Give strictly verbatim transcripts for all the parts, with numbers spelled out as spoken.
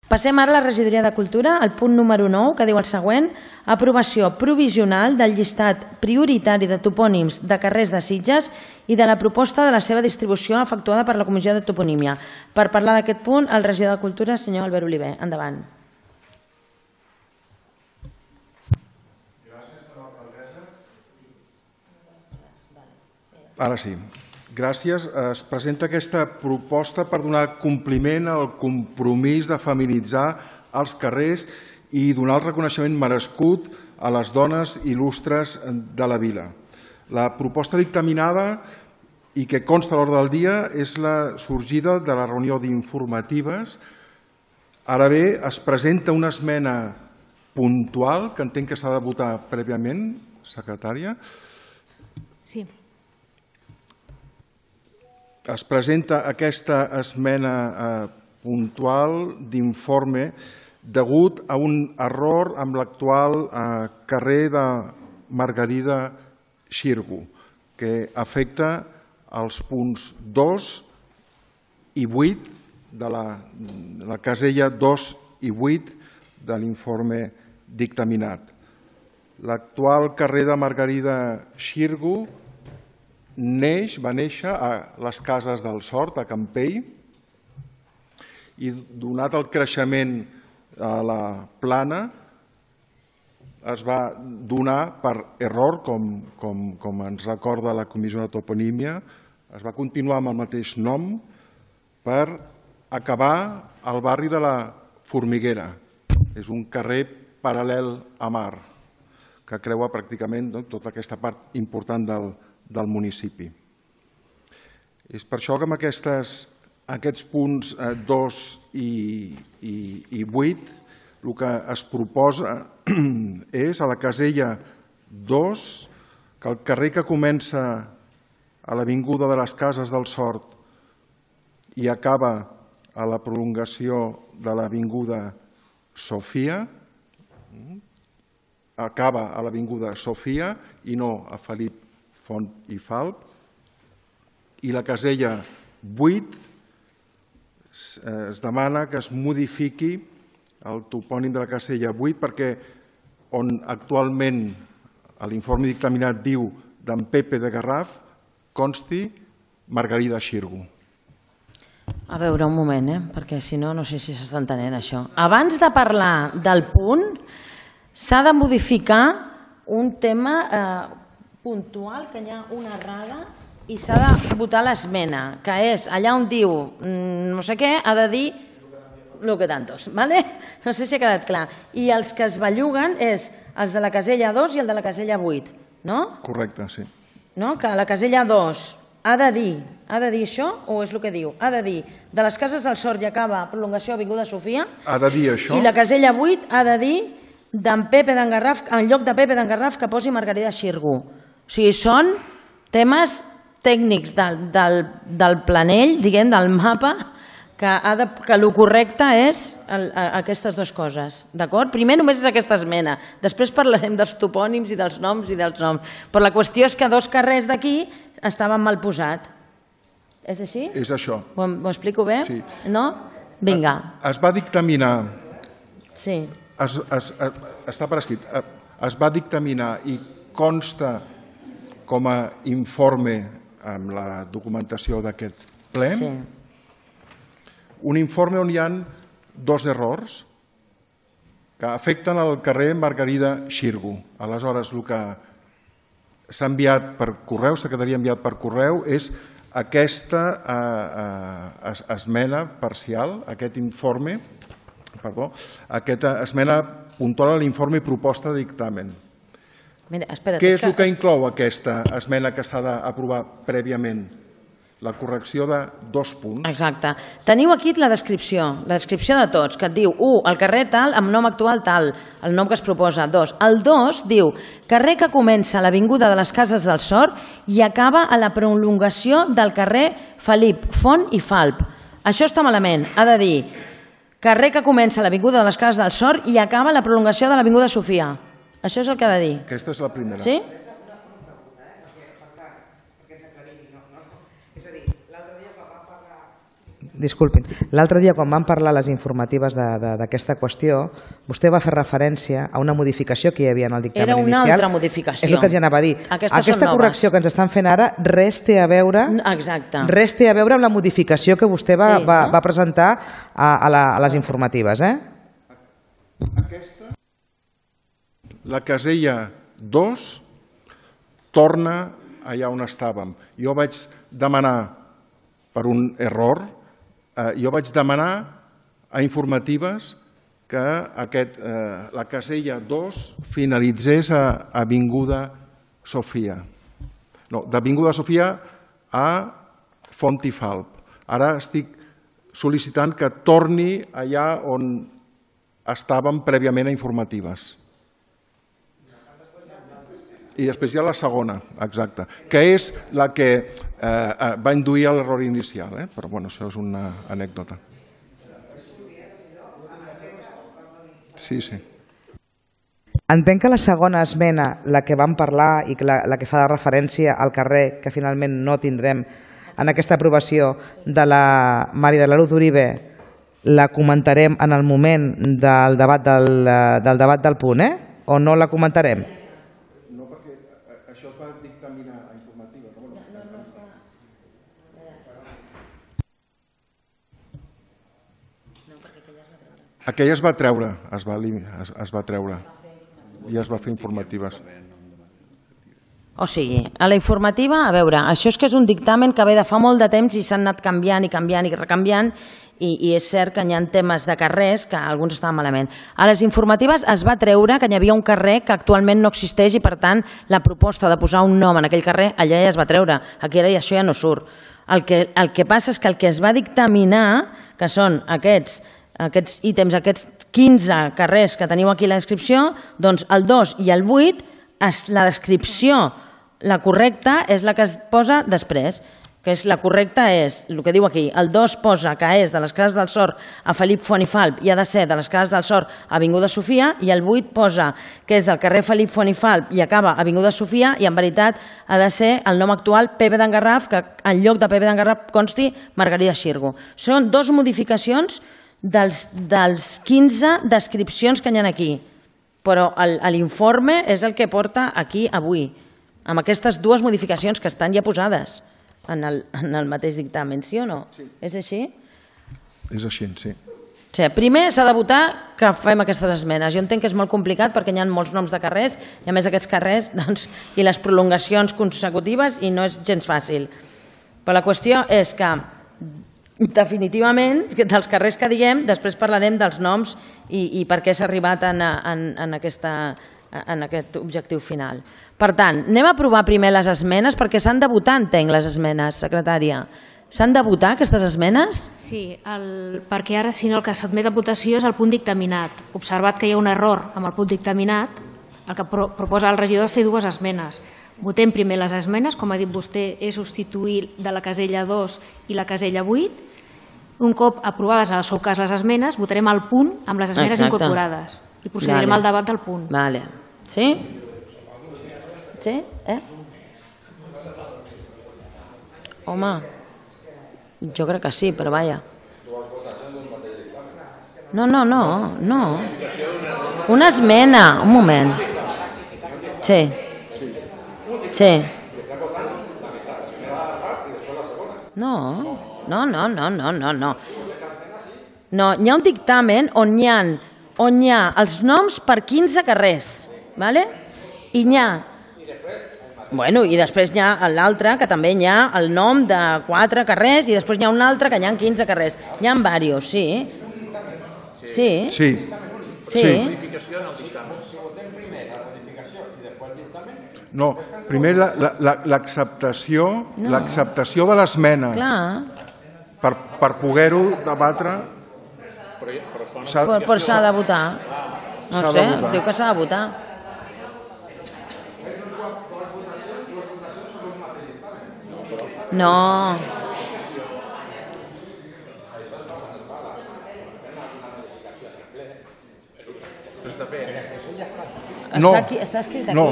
Passem ara a la regidoria de Cultura, el punt número nou, que diu el següent: aprovació provisional del llistat prioritari de topònims de carrers de Sitges i de la proposta de la seva distribució efectuada per la Comissió de Toponímia. Per parlar d'aquest punt, el regidor de Cultura, senyor Albert Oliver. Endavant. Ara sí. Gràcies. Es presenta aquesta proposta per donar compliment al compromís de feminitzar els carrers i donar el reconeixement merescut a les dones il·lustres de la vila. La proposta dictaminada i que consta a l'ordre del dia és la sorgida de la reunió d'informatives. Ara bé, es presenta una esmena puntual que entenc que s'ha de votar prèviament, secretària. Sí. Es presenta aquesta esmena puntual d'informe degut a un error amb l'actual carrer de Margarida Xirgu, que afecta els punts dos i vuit de la casella dos i vuit de l'informe dictaminat. L'actual carrer de Margarida Xirgu neix, va néixer a les Cases del Sort, a Campell, i donat el creixement a la plana, es va donar per error, com ens recorda la Comissió de Toponímia, es va continuar amb el mateix nom per acabar al barri de la Formiguera. És un carrer paral·lel a mar, que creua pràcticament tota aquesta part important del del municipi. És per això que amb aquests punts dos i vuit el que es proposa és a la casella dos que el carrer que comença a l'Avinguda de les Cases del Sort i acaba a la prolongació de l'Avinguda Sofia, acaba a l'Avinguda Sofia i no a Felip Font i Falp, i la casella vuit es demana que es modifiqui el topònim de la casella vuit perquè on actualment l'informe dictaminat diu d'en Pepe de Garraf consti Margarida Xirgu. A veure, un moment, eh? perquè si no, no sé si s'està entenent això. Abans de parlar del punt, s'ha de modificar un tema puntual, que hi ha una errada i s'ha de votar l'esmena, que és allà on diu no sé què, ha de dir lo que tantos, ¿vale? No sé si ha quedat clar. I els que es belluguen és els de la casella dos i el de la casella vuit, no? Correcte, sí. No? Que la casella dos ha de dir, ha de dir això o és el que diu? Ha de dir, de les Cases del Sort i acaba prolongació Avinguda Sofia. Ha de dir això. I la casella vuit ha de dir d'en Pepe d'en Garraf, en lloc de Pepe d'en Garraf que posi Margarida Xirgu. O sigui, són temes tècnics del planell, diguem, del mapa, que el correcte és aquestes dues coses, d'acord? Primer només és aquesta esmena, després parlarem dels topònims i dels noms i dels noms, però la qüestió és que dos carrers d'aquí estaven mal posats. És així? És això. Ho explico bé? Sí. No? Vinga. Es va dictaminar... Sí. Està per escrit. Es va dictaminar i consta com a informe amb la documentació d'aquest ple, un informe on hi ha dos errors que afecten el carrer Margarida Xirgu. Aleshores, el que s'ha enviat per correu, s'ha quedaria enviat per correu, és aquesta esmena parcial, aquest informe, perdó, aquesta esmena puntual a l'informe i proposta de dictamen. Què és el que inclou aquesta esmena que s'ha d'aprovar prèviament? La correcció de dos punts. Exacte. Teniu aquí la descripció, la descripció de tots, que et diu, u, el carrer tal, amb nom actual tal, el nom que es proposa. Dos, el dos diu, carrer que comença a l'Avinguda de les Cases del Sort i acaba a la prolongació del carrer Felip Font i Falp. Això està malament. Ha de dir, carrer que comença a l'Avinguda de les Cases del Sort i acaba a la prolongació de l'Avinguda Sofia. Això és el que ha de dir. Aquesta és la primera. Sí? Disculpin. L'altre dia, quan vam parlar les informatives d'aquesta qüestió, vostè va fer referència a una modificació que hi havia en el dictamen inicial. Era una inicial. altra modificació. És el que els anava a dir. Aquestes Aquesta són correcció noves. que ens estan fent ara res té a veure, Exacte. res té a veure amb la modificació que vostè va, Sí, va, no? va presentar a, a, la, a les informatives. Eh? Aquesta, la casella dos, torna allà on estàvem. Jo vaig demanar, per un error, eh, jo vaig demanar a informatives que aquest, eh, la casella dos finalitzés a Avinguda Sofia. No, d'Avinguda Sofia a Fontifalp. Ara estic sol·licitant que torni allà on estàvem prèviament a informatives. I després hi ha la segona, exacte, que és la que eh, va induir a l'error inicial, eh? Però bueno, això és una anècdota. Sí, sí. Entenc que la segona esmena, la que vam parlar i que la, la que fa de referència al carrer, que finalment no tindrem en aquesta aprovació de la Mari de la Luz Uribe, la comentarem en el moment del debat del, del, debat del punt, eh? O no la comentarem? No, perquè això es va dictaminar a informativa. No, no, no, no. Aquella es va treure, es va, es, es va treure i es va fer informatives. O sigui, a la informativa, a veure, això és que és un dictamen que ve de fa molt de temps i s'han anat canviant i canviant i recanviant i, i és cert que hi ha temes de carrers que alguns estaven malament. A les informatives es va treure que hi havia un carrer que actualment no existeix i per tant la proposta de posar un nom en aquell carrer allà ja es va treure. Aquí ara això ja no surt. El que, el que passa és que el que es va dictaminar, que són aquests, aquests ítems, aquests quinze carrers que teniu aquí a la descripció, doncs el dos i el vuit, la descripció, la correcta és la que es posa després, que és la correcta és, el que diu aquí, el dos posa que és de les Cases del Sor a Felip Font i Falp i ha de ser de les Cases del Sor a Avinguda Sofia, i el vuit posa que és del carrer Felip Font i Falp i acaba a Avinguda Sofia, i en veritat ha de ser el nom actual Pepe d'Engarraf, que en lloc de Pepe d'Engarraf consti Margarida Xirgo. Són dues modificacions dels, dels quinze descripcions que hi ha aquí, però l'informe és el que porta aquí avui, amb aquestes dues modificacions que estan ja posades en el, en el mateix dictamen, sí o no? Sí. És així? És així, sí. O sigui, primer s'ha de votar que fem aquestes esmenes. Jo entenc que és molt complicat perquè hi ha molts noms de carrers i a més aquests carrers doncs, i les prolongacions consecutives i no és gens fàcil. Però la qüestió és que definitivament dels carrers que diguem després parlarem dels noms i, i per què s'ha arribat en, en, en, aquesta, en aquest objectiu final. Per tant, anem a aprovar primer les esmenes perquè s'han de votar, entenc, les esmenes, secretària. S'han de votar aquestes esmenes? Sí, el, perquè ara si no el que s'admet a votació és el punt dictaminat. Observat que hi ha un error amb el punt dictaminat, el que pro, proposa el regidor és fer dues esmenes. Votem primer les esmenes, com ha dit vostè, és substituir de la casella dos i la casella vuit. Un cop aprovades en el seu cas les esmenes, votarem el punt amb les esmenes Exacte. Incorporades i procedirem Vale. al debat del punt. Vale. Sí? Sí? Eh? Home, jo crec que sí, però vaja. No, no, no, no. Una esmena, un moment. Sí. Sí. No. No, no, no, no, no, no. No, hi ha un dictamen on hi ha, on hi ha els noms per quinze carrers, ¿vale? I hi ha... Bueno, i després hi ha l'altre, que també hi ha el nom de quatre carrers, i després hi ha un altre que hi ha quinze carrers. Hi ha diversos, sí. Sí. Sí. Sí. No, primer l'acceptació No. l'acceptació de l'esmena Clar. per, per poder-ho debatre. s'ha- Però, però s'ha de votar. No S'ha sé, de votar. diu que s'ha de votar. No. No. Està, aquí, està escrit aquí. No.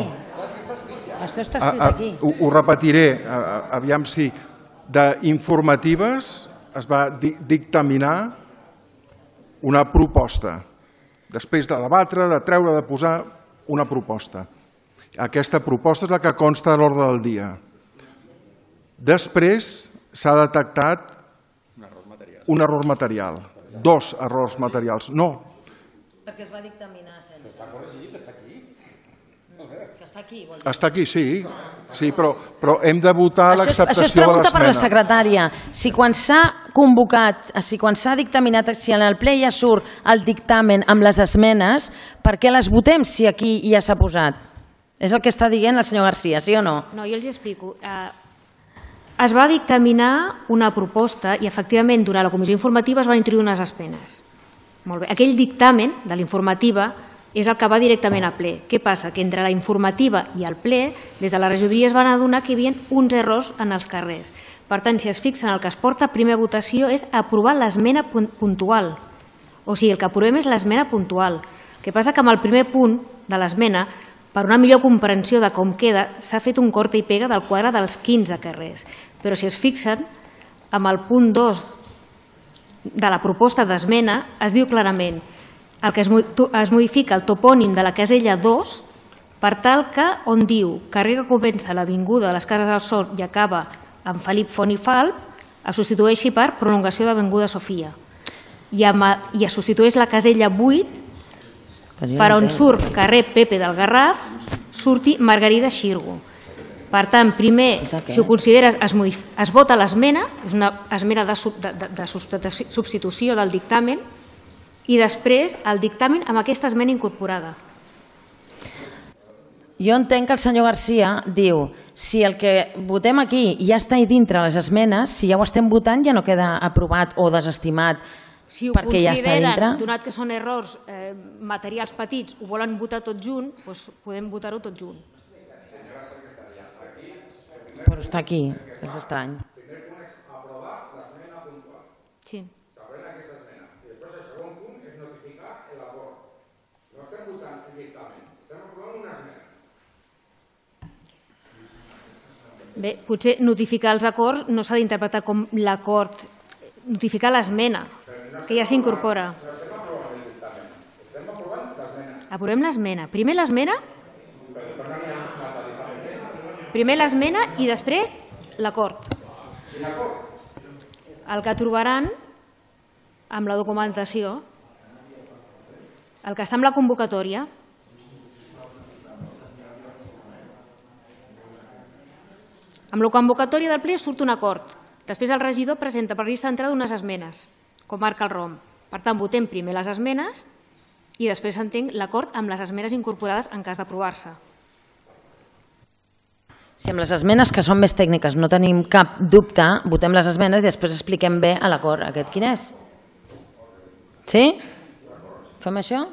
Això està A- escrit a- aquí. Ho, ho repetiré, a- a- aviam si d'informatives es va dictaminar una proposta. Després de debatre, de treure, de posar una proposta. Aquesta proposta és la que consta a l'ordre del dia. Després s'ha detectat un error material. Dos errors materials. No. Perquè es va dictaminar sense. Està corregit, està aquí. Que està aquí, vol dir. Està aquí, sí. Sí, però, però hem de votar l'acceptació de l'esmena. Això és pregunta per la secretària. Si quan s'ha convocat, si quan s'ha dictaminat, si en el ple ja surt el dictamen amb les esmenes, per què les votem si aquí ja s'ha posat? És el que està dient el senyor Garcia, sí o no? No, jo els explico. Eh, es va dictaminar una proposta i efectivament durant la comissió informativa es van introduir unes esmenes. Molt bé. Aquell dictamen de l'informativa és el que va directament al ple. Què passa? Que entre la informativa i el ple, des de la regidoria es van adonar que hi havia uns errors en els carrers. Per tant, si es fixen, el que es porta a primera votació és aprovar l'esmena puntual. O sigui, el que aprovem és l'esmena puntual. El que passa que amb el primer punt de l'esmena, per una millor comprensió de com queda, s'ha fet un corta i pega del quadre dels quinze carrers. Però si es fixen, amb el punt dos de la proposta d'esmena es diu clarament el que es modifica el topònim de la casella dos per tal que on diu carrer que comença l'avinguda de les Cases del Sol i acaba amb Felip Font i Falp es substitueixi per prolongació d'avinguda Sofia i, amb, i es substitueix la casella vuit per on surt carrer Pepe del Garraf surti Margarida Xirgo. Per tant, primer, si ho consideres, es, es vota l'esmena, és una esmena de, de, de, de substitució del dictamen, i després el dictamen amb aquesta esmena incorporada. Jo entenc que el senyor Garcia diu si el que votem aquí ja està dintre les esmenes, si ja ho estem votant ja no queda aprovat o desestimat si perquè ja està dintre. Si ho consideren, donat que són errors eh, materials petits, ho volen votar tot junt, doncs podem votar-ho tot junt. Però està aquí, és estrany. El primer punt és aprovar l'esmena puntual. Sí. S'aprèn aquesta esmena. I després el segon punt és notificar l'acord. No estem votant el dictamen, estem aprovant una esmena. Bé, potser notificar els acords no s'ha d'interpretar com l'acord, notificar l'esmena, que ja s'incorpora. No estem aprovant el dictamen, estem aprovant l'esmena. Aprovem l'esmena. Primer l'esmena... Primer l'esmena i després l'acord. El que trobaran amb la documentació, el que està amb la convocatòria, amb la convocatòria del ple surt un acord. Després el regidor presenta per llista d'entrada unes esmenes, com marca el R O M. Per tant, votem primer les esmenes i després s'entén l'acord amb les esmenes incorporades en cas d'aprovar-se. Si amb les esmenes, que són més tècniques, no tenim cap dubte, votem les esmenes i després expliquem bé a l'acord aquest quin és. Sí? Fem això?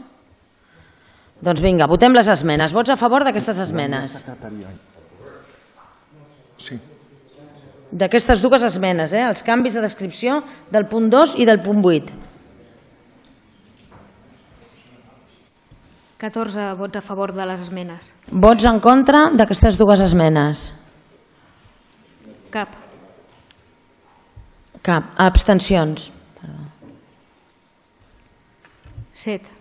Doncs vinga, votem les esmenes. Vots a favor d'aquestes esmenes? Sí. D'aquestes dues esmenes, eh? Els canvis de descripció del punt dos i del punt vuit. catorze vots a favor de les esmenes. Vots en contra d'aquestes dues esmenes? Cap. Cap. Abstencions? Set.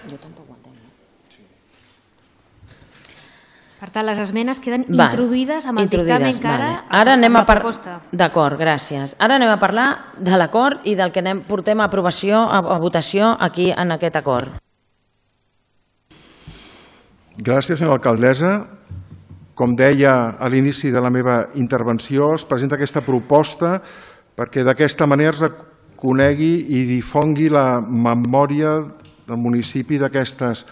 Jo tampoc ho entenc. Per tant, les esmenes queden Vale. introduïdes amb el dictamen que ara... Vale. Ara anem a parlar... proposta. D'acord, gràcies. Ara anem a parlar de l'acord i del que anem, portem a aprovació, a, a votació aquí en aquest acord. Gràcies, senyora alcaldessa. Com deia a l'inici de la meva intervenció, es presenta aquesta proposta perquè d'aquesta manera es conegui i difongui la memòria del municipi d'aquestes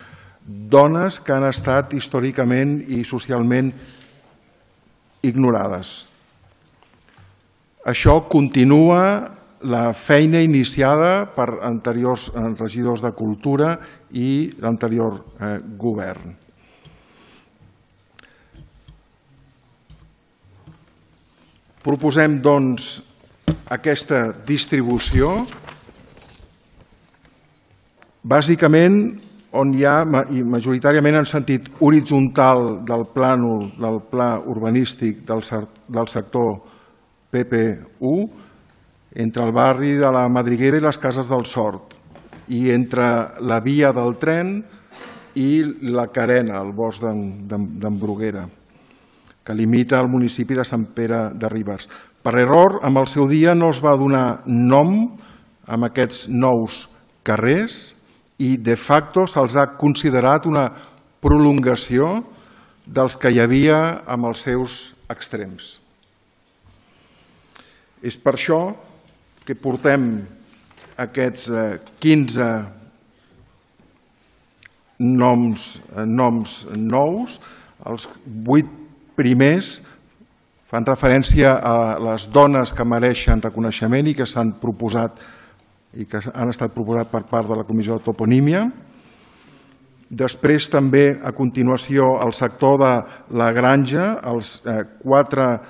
dones que han estat històricament i socialment ignorades. Això continua la feina iniciada per anteriors regidors de Cultura i l'anterior eh, govern. Proposem, doncs, aquesta distribució bàsicament on hi ha, i majoritàriament en sentit horitzontal del plànol, del pla urbanístic del sector P P u, entre el barri de la Madriguera i les Cases del Sort, i entre la via del tren i la Carena, el bosc d'en Bruguera, que limita el municipi de Sant Pere de Ribes. Per error, en el seu dia no es va donar nom a aquests nous carrers i de facto se'ls ha considerat una prolongació dels que hi havia amb els seus extrems. És per això que portem aquests quinze noms nous. Els vuit primers fan referència a les dones que mereixen reconeixement i que s'han proposat i que han estat proposats per part de la Comissió de Toponímia. Després també, a continuació, el sector de la granja, els quatre,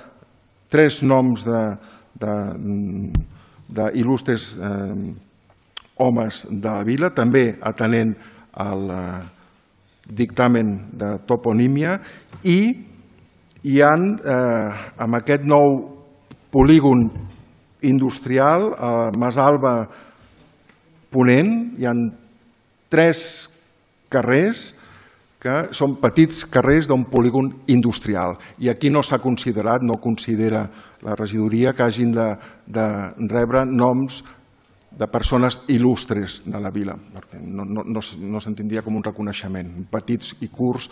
tres noms d'il·lustres homes de la vila, també atenent al dictamen de toponímia, i hi ha, amb aquest nou polígon industrial, a Masalba Ponent, hi ha tres carrers que són petits carrers d'un polígon industrial. I aquí no s'ha considerat, no considera la regidoria que hagin de rebre noms de persones il·lustres de la vila, perquè no s'entendria com un reconeixement. Petits i curts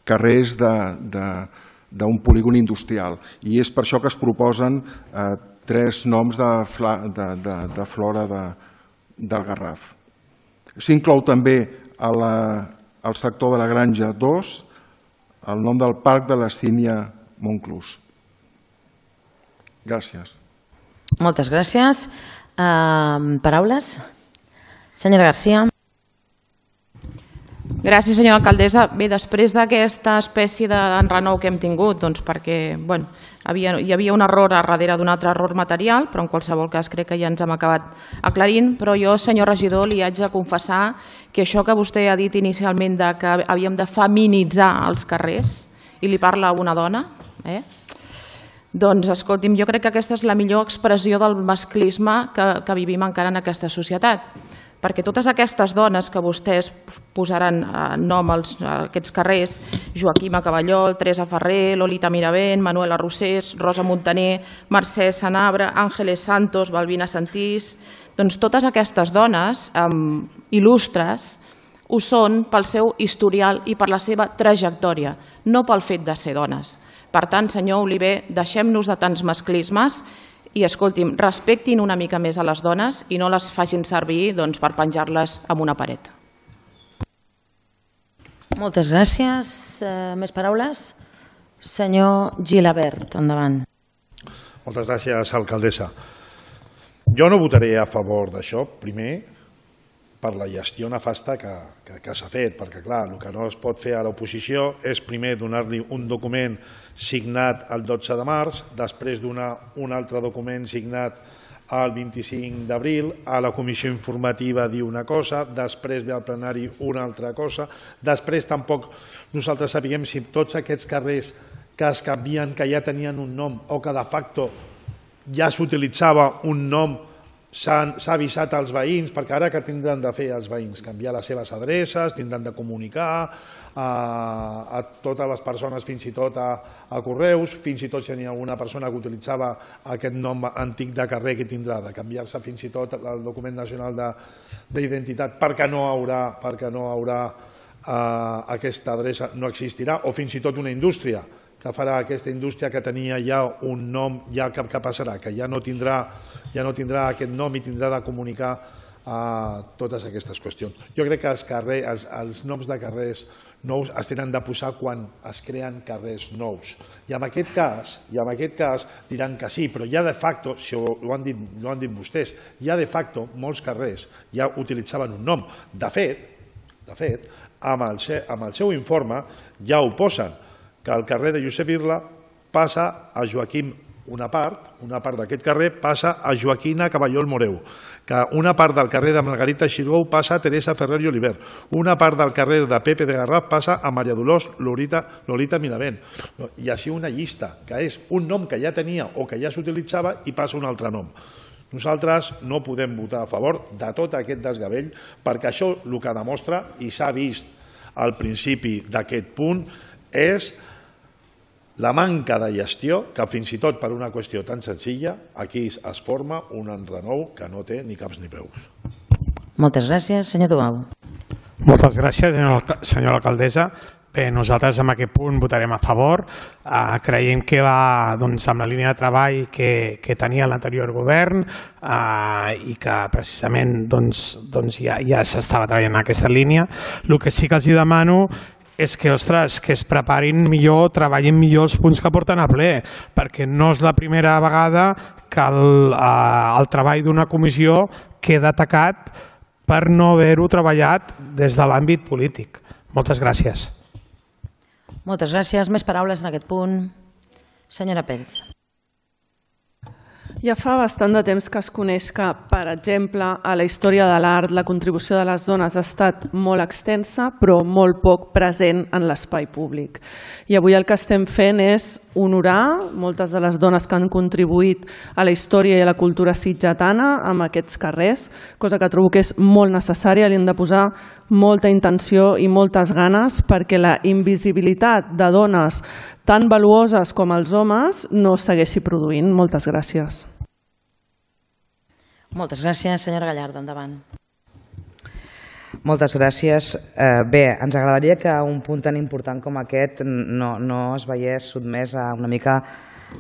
carrers d'un polígon industrial. I és per això que es proposen tres noms de flora del Garraf. S'inclou també al sector de la Granja dos el nom del Parc de la Sínia Montclús. Gràcies. Moltes gràcies. Paraules? Senyora García. Gràcies, senyora alcaldessa. Bé, després d'aquesta espècie d'enrenou que hem tingut, doncs perquè hi havia un error a darrere d'un altre error material, però en qualsevol cas crec que ja ens hem acabat aclarint, però jo, senyor regidor, li haig de confessar que això que vostè ha dit inicialment que havíem de feminitzar els carrers, i li parla una dona, doncs, escolti'm, jo crec que aquesta és la millor expressió del masclisme que vivim encara en aquesta societat. Perquè totes aquestes dones que vostès posaran nom a aquests carrers, Joaquima Caballol, Teresa Ferrer, Lolita Miravent, Manuela Rosés, Rosa Montaner, Mercè Sanabra, Àngeles Santos, Balbina Santís, doncs totes aquestes dones il·lustres ho són pel seu historial i per la seva trajectòria, no pel fet de ser dones. Per tant, senyor Oliver, deixem-nos de tants masclismes i, escolti'm, respectin una mica més a les dones i no les facin servir per penjar-les en una paret. Moltes gràcies. Més paraules? Senyor Gilabert, endavant. Moltes gràcies, alcaldessa. Jo no votaré a favor d'això, primer, per la gestió nefasta que s'ha fet, perquè, clar, el que no es pot fer a l'oposició és primer donar-li un document signat el dotze de març, després donar un altre document signat el vint-i-cinc d'abril, a la comissió informativa dir una cosa, després ve al plenari una altra cosa, després tampoc nosaltres sabíem si tots aquests carrers que es canvien, que ja tenien un nom o que de facto ja s'utilitzava un nom, s'ha avisat als veïns, perquè ara que tindran de fer els veïns? Canviar les seves adreces, tindran de comunicar a totes les persones, fins i tot a correus, fins i tot si hi ha alguna persona que utilitzava aquest nom antic de carrer que tindrà de canviar-se fins i tot el document nacional d'identitat perquè no haurà aquesta adreça, no existirà, o fins i tot una indústria que farà aquesta indústria que tenia ja un nom, ja què passarà? Que ja no tindrà aquest nom i tindrà de comunicar totes aquestes qüestions. Jo crec que els noms de carrers nous es tenen de posar quan es creen carrers nous. I en aquest cas diran que sí, però ja de facto, si ho han dit vostès, ja de facto molts carrers ja utilitzaven un nom. De fet, amb el seu informe ja ho posen, que el carrer de Josep Irla passa a Joaquim una part, una part d'aquest carrer passa a Joaquina Caballol Moreu, que una part del carrer de Margarita Xirgou passa a Teresa Ferrer i Oliver, una part del carrer de Pepe de Garraf passa a Maria Dolors Lolita, Lolita Milavent, i així una llista, que és un nom que ja tenia o que ja s'utilitzava i passa un altre nom. Nosaltres no podem votar a favor de tot aquest desgavell perquè això el que demostra, i s'ha vist al principi d'aquest punt, és la manca de gestió que fins i tot per una qüestió tan senzilla aquí es forma un enrenou que no té ni caps ni peus. Moltes gràcies. Senyor Duau. Moltes gràcies, senyora alcaldessa. Bé, nosaltres en aquest punt votarem a favor. Eh, creiem que va doncs, amb la línia de treball que, que tenia l'anterior govern eh, i que precisament doncs, doncs ja, ja s'estava treballant en aquesta línia. El que sí que els demano és que, ostres, que es preparin millor, treballin millor els punts que porten a ple, perquè no és la primera vegada que el, eh, el treball d'una comissió queda atacat per no haver-ho treballat des de l'àmbit polític. Moltes gràcies. Moltes gràcies. Més paraules en aquest punt. Senyora Pérez. Ja fa bastant de temps que es coneix que, per exemple, a la història de l'art la contribució de les dones ha estat molt extensa però molt poc present en l'espai públic. I avui el que estem fent és honorar moltes de les dones que han contribuït a la història i a la cultura sitgetana amb aquests carrers, cosa que trobo que és molt necessària, li hem de posar molta intenció i moltes ganes perquè la invisibilitat de dones tan valuoses com els homes no es segueixi produint. Moltes gràcies. Moltes gràcies. Senyora Gallardo, endavant. Moltes gràcies. Eh, bé, ens agradaria que un punt tan important com aquest no, no es veiés sotmès a una mica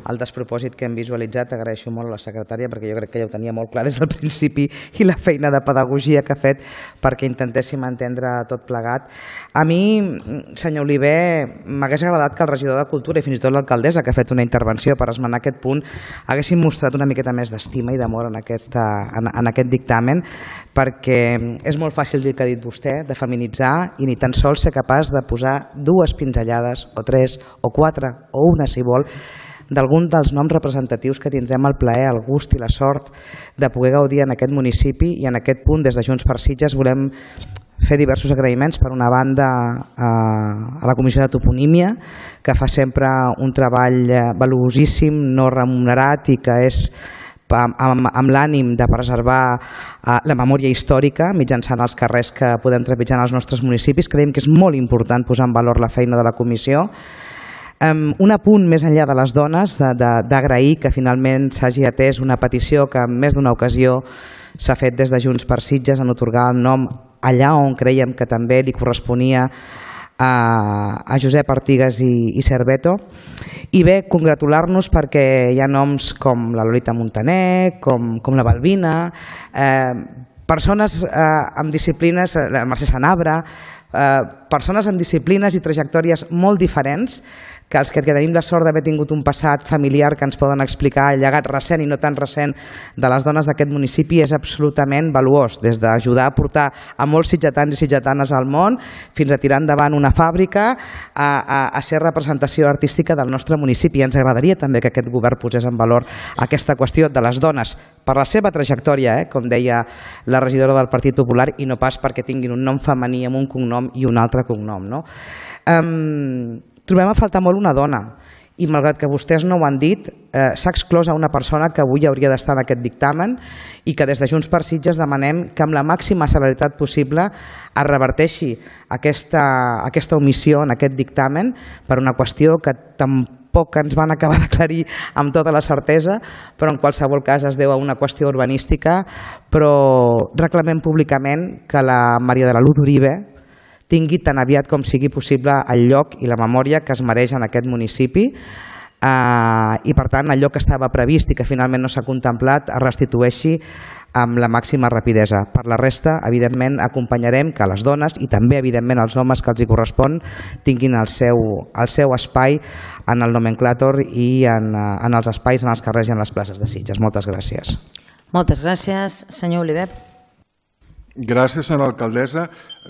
el despropòsit que hem visualitzat. Agraeixo molt a la secretària perquè jo crec que ja ho tenia molt clar des del principi i la feina de pedagogia que ha fet perquè intentéssim entendre tot plegat. A mi, senyor Oliver, m'hagués agradat que el regidor de Cultura i fins i tot l'alcaldessa que ha fet una intervenció per esmenar aquest punt haguessin mostrat una miqueta més d'estima i d'amor en, aquesta, en, en aquest dictamen, perquè és molt fàcil dir que ha dit vostè, de feminitzar i ni tan sols ser capaç de posar dues pinzellades o tres o quatre o una si vol d'algun dels noms representatius que tindrem el plaer, el gust i la sort de poder gaudir en aquest municipi. I en aquest punt, des de Junts per Sitges, volem fer diversos agraïments. Per una banda, a la Comissió de Toponímia, que fa sempre un treball valuosíssim, no remunerat i que és amb, amb l'ànim de preservar la memòria històrica mitjançant els carrers que podem trepitjar en els nostres municipis. Creiem que és molt important posar en valor la feina de la comissió. Um, un apunt més enllà de les dones, d'agrair que finalment s'hagi atès una petició que en més d'una ocasió s'ha fet des de Junts per Sitges en atorgar el nom allà on creiem que també li corresponia a, a Josep Artigas i, i Cerveto. I bé, congratular-nos perquè hi ha noms com la Lolita Montaner, com, com la Balbina, eh, persones eh, amb disciplines, la Mercè Sanabra, eh, persones amb disciplines i trajectòries molt diferents que els que tenim la sort d'haver tingut un passat familiar que ens poden explicar el llegat recent i no tan recent de les dones d'aquest municipi és absolutament valuós, des d'ajudar a portar a molts sitgetans i sitgetanes al món fins a tirar endavant una fàbrica a, a, a ser representació artística del nostre municipi. Ens agradaria també que aquest govern posés en valor aquesta qüestió de les dones per la seva trajectòria, eh, com deia la regidora del Partit Popular, i no pas perquè tinguin un nom femení amb un cognom i un altre cognom. No? Um, Trobem a faltar molt una dona i malgrat que vostès no ho han dit, eh, s'ha exclòs a una persona que avui hauria d'estar en aquest dictamen i que des de Junts per Sitges demanem que amb la màxima celeritat possible es reverteixi aquesta, aquesta omissió en aquest dictamen per una qüestió que tampoc ens van acabar d'aclarir amb tota la certesa, però en qualsevol cas es deu a una qüestió urbanística, però reclamem públicament que la Maria de la Luz Uribe tingui tan aviat com sigui possible el lloc i la memòria que es mereix en aquest municipi eh, i per tant allò que estava previst i que finalment no s'ha contemplat es restitueixi amb la màxima rapidesa. Per la resta, evidentment, acompanyarem que les dones i també evidentment els homes que els hi correspon tinguin el seu, el seu espai en el nomenclàtor i en, en els espais, en els carrers i en les places de Sitges. Moltes gràcies. Moltes gràcies. Senyor Oliver. Gràcies, senyora alcaldessa.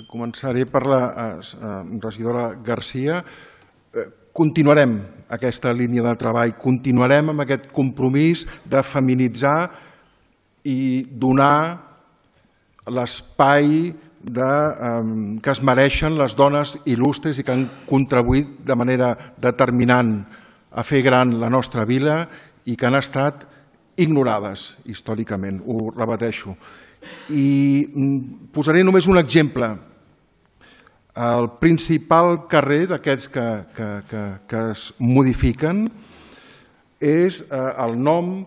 Començaré per la regidora Garcia. continuarem aquesta línia de treball, continuarem amb aquest compromís de feminitzar i donar l'espai que es mereixen les dones il·lustres i que han contribuït de manera determinant a fer gran la nostra vila i que han estat ignorades històricament, ho repeteixo. I posaré només un exemple. El principal carrer d'aquests que es modifiquen és el nom,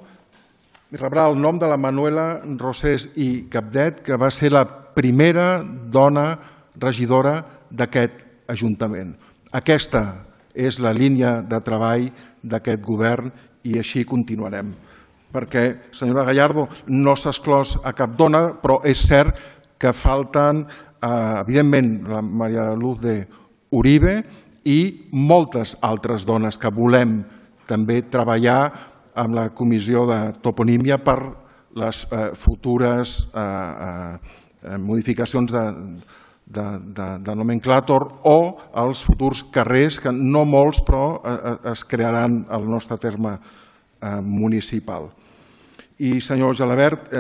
rebrà el nom de la Manuela Rosés i Capdet, que va ser la primera dona regidora d'aquest Ajuntament. Aquesta és la línia de treball d'aquest govern i així continuarem. Perquè, senyora Gallardo, no s'ha exclòs a cap dona, però és cert que falten, evidentment, la Maria Luz de Uribe i moltes altres dones que volem també treballar amb la comissió de toponímia per les futures modificacions de nomenclàtor o els futurs carrers, que no molts, però es crearan al nostre terme municipal. I, senyor Gelabert,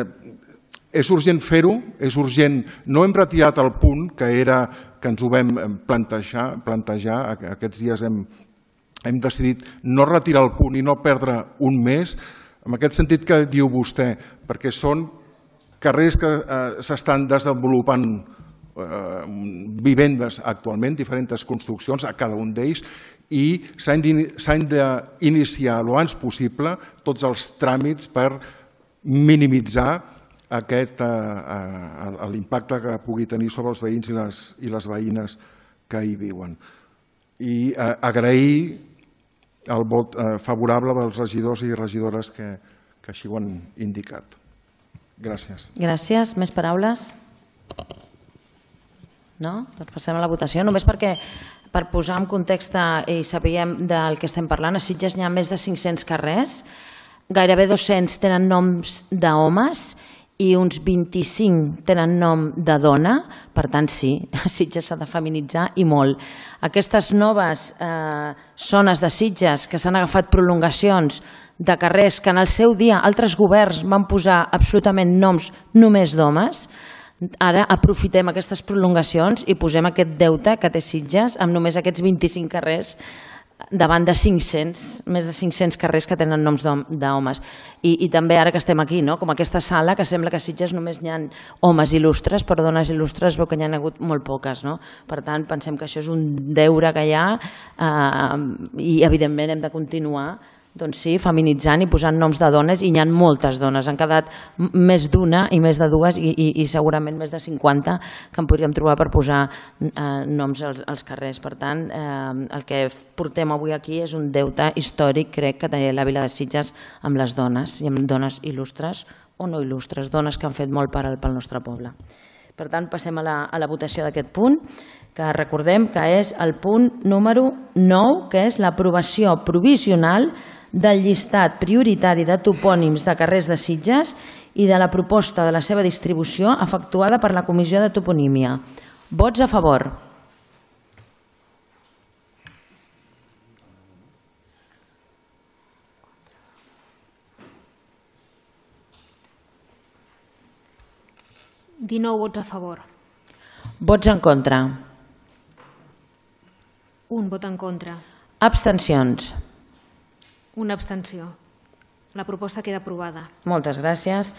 és urgent fer-ho, és urgent. No hem retirat el punt que era que ens ho vam plantejar, aquests dies hem hem decidit no retirar el punt i no perdre un mes, en aquest sentit que diu vostè, perquè són carrers que s'estan desenvolupant vivendes actualment, diferents construccions a cada un d'ells, i s'han d'iniciar el abans possible tots els tràmits per minimitzar l'impacte que pugui tenir sobre els veïns i les veïnes que hi viuen. I agrair el vot favorable dels regidors i regidores que així ho han indicat. Gràcies. Gràcies. Més paraules? No? Doncs passem a la votació. Només perquè, per posar en context i sapiguem del que estem parlant, a Sitges n'hi ha més de cinc-cents carrers, gairebé dos-cents tenen noms d'homes i uns vint-i-cinc tenen nom de dona, per tant sí, Sitges s'ha de feminitzar i molt. Aquestes noves zones de Sitges que s'han agafat prolongacions de carrers que en el seu dia altres governs van posar absolutament noms només d'homes, ara aprofitem aquestes prolongacions i posem aquest deute que té Sitges amb només aquests vint-i-cinc carrers davant de cinc-cents, més de cinc-cents carrers que tenen noms d'homes. I també ara que estem aquí, com aquesta sala, que sembla que a Sitges només hi ha homes il·lustres, però dones il·lustres veu que n'hi ha hagut molt poques. Per tant, pensem que això és un deure que hi ha i evidentment hem de continuar doncs sí, feminitzant i posant noms de dones, i n'hi ha moltes dones, han quedat més d'una i més de dues i segurament més de cinquanta que en podríem trobar per posar noms als carrers. Per tant, el que portem avui aquí és un deute històric, crec, que té la vila de Sitges amb les dones, i amb dones il·lustres o no il·lustres, dones que han fet molt pel nostre poble. Per tant, passem a la votació d'aquest punt, que recordem que és el punt número nou, que és l'aprovació provisional del llistat prioritari de topònims de carrers de Sitges i de la proposta de la seva distribució efectuada per la Comissió de Toponímia. Vots a favor. dinou vots a favor. Vots en contra. Un vot en contra. Abstencions. Una abstenció. La proposta queda aprovada. Moltes gràcies.